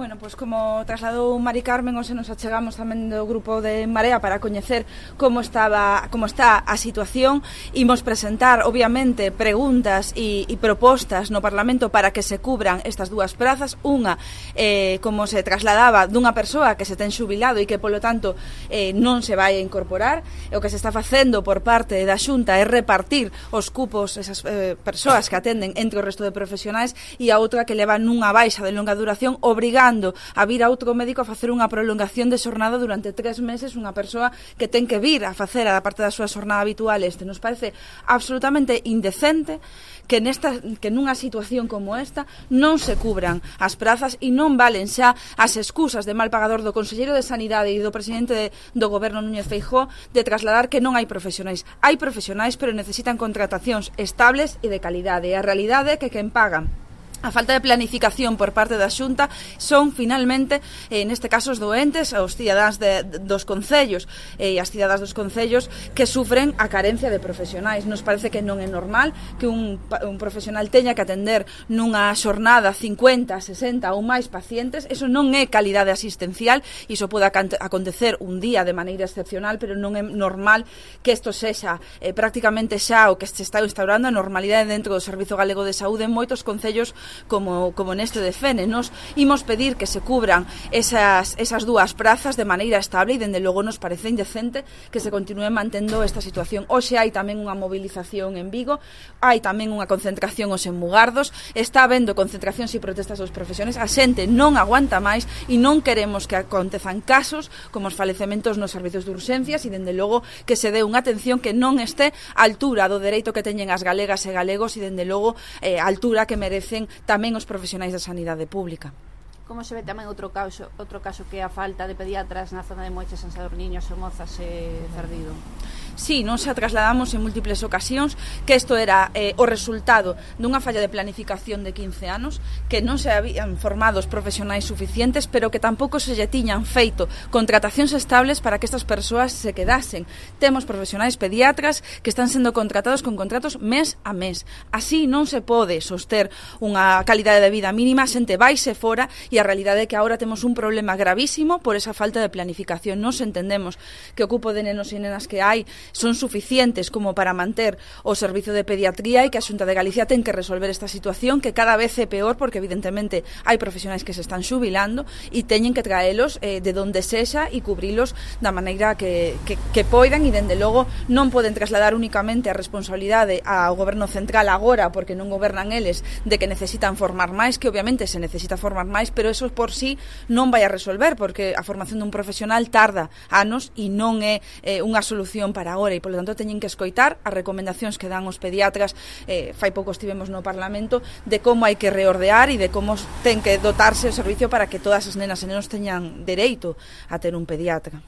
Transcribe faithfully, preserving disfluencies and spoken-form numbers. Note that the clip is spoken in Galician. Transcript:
Bueno, pois como trasladou Mari Carmen, hoxe nos achegamos tamén do grupo de Marea para coñecer como estaba, como está a situación. Imos presentar, obviamente, preguntas e, e propostas no Parlamento para que se cubran estas dúas prazas. Unha, eh, como se trasladaba, dunha persoa que se ten xubilado e que, polo tanto, eh, non se vai a incorporar. E o que se está facendo por parte da Xunta é repartir os cupos, esas eh, persoas que atenden entre o resto de profesionais, e a outra que leva nunha baixa de longa duración, obrigando a vir a outro médico a facer unha prolongación de xornada durante tres meses, unha persoa que ten que vir a facer a parte da súa xornada habitual. Este nos parece absolutamente indecente que nesta que nunha situación como esta non se cubran as prazas e non valen xa as excusas de mal pagador do conselleiro de Sanidade e do presidente de, do goberno Núñez Feijóo de trasladar que non hai profesionais. Hai profesionais, pero necesitan contratacións estables e de calidade. E a realidade é que quen paga a falta de planificación por parte da Xunta son, finalmente, eh, neste caso, os doentes, os cidadáns de, de, dos concellos e eh, as cidadás dos concellos que sufren a carencia de profesionais. Nos parece que non é normal que un, un profesional teña que atender nunha xornada cincuenta, sesenta ou máis pacientes. Eso non é calidade asistencial, iso pode acontecer un día de maneira excepcional, pero non é normal que isto sexa eh, prácticamente xa o que se está instaurando a normalidade dentro do Servizo Galego de Saúde en moitos concellos como, como neste de Fene. Nos imos pedir que se cubran esas, esas dúas prazas de maneira estable e, dende logo, nos parece indecente que se continue mantendo esta situación. Hoxe hai tamén unha movilización en Vigo, hai tamén unha concentración os en Mugardos, está habendo concentracións e protestas dos profesionais, a xente non aguanta máis e non queremos que acontezan casos como os falecementos nos servizos de urxencias e, dende logo, que se dé unha atención que non este á altura do dereito que teñen as galegas e galegos e, dende logo, eh, á altura que merecen tamén os profesionais da sanidade pública. Como se ve tamén outro caso, outro caso que é a falta de pediatras na zona de Moiches, San Sadurniño, Somozas e Cerdido? Sí, non se trasladamos en múltiples ocasións que isto era eh, o resultado dunha falla de planificación de quince anos, que non se habían formado os profesionais suficientes, pero que tampouco se lle tiñan feito contratacións estables para que estas persoas se quedasen. Temos profesionais pediatras que están sendo contratados con contratos mes a mes. Así non se pode soster unha calidade de vida mínima, a xente vaise fora e a realidade é que agora temos un problema gravísimo por esa falta de planificación. Nos entendemos que o cupo de nenos e nenas que hai son suficientes como para manter o servizo de pediatría e que a Xunta de Galicia ten que resolver esta situación que cada vez é peor porque evidentemente hai profesionais que se están xubilando e teñen que traelos eh, de donde sexa e cubrilos da maneira que, que, que poidan e, dende logo, non poden trasladar únicamente a responsabilidade ao goberno central agora porque non gobernan eles de que necesitan formar máis, que obviamente se necesita formar máis, pero eso por sí non vai a resolver porque a formación dun profesional tarda anos e non é eh, unha solución para agora e, polo tanto, teñen que escoitar as recomendacións que dan os pediatras. Eh, fai pouco estivemos no Parlamento de como hai que reordear e de como ten que dotarse o servicio para que todas as nenas e nenos teñan dereito a ter un pediatra.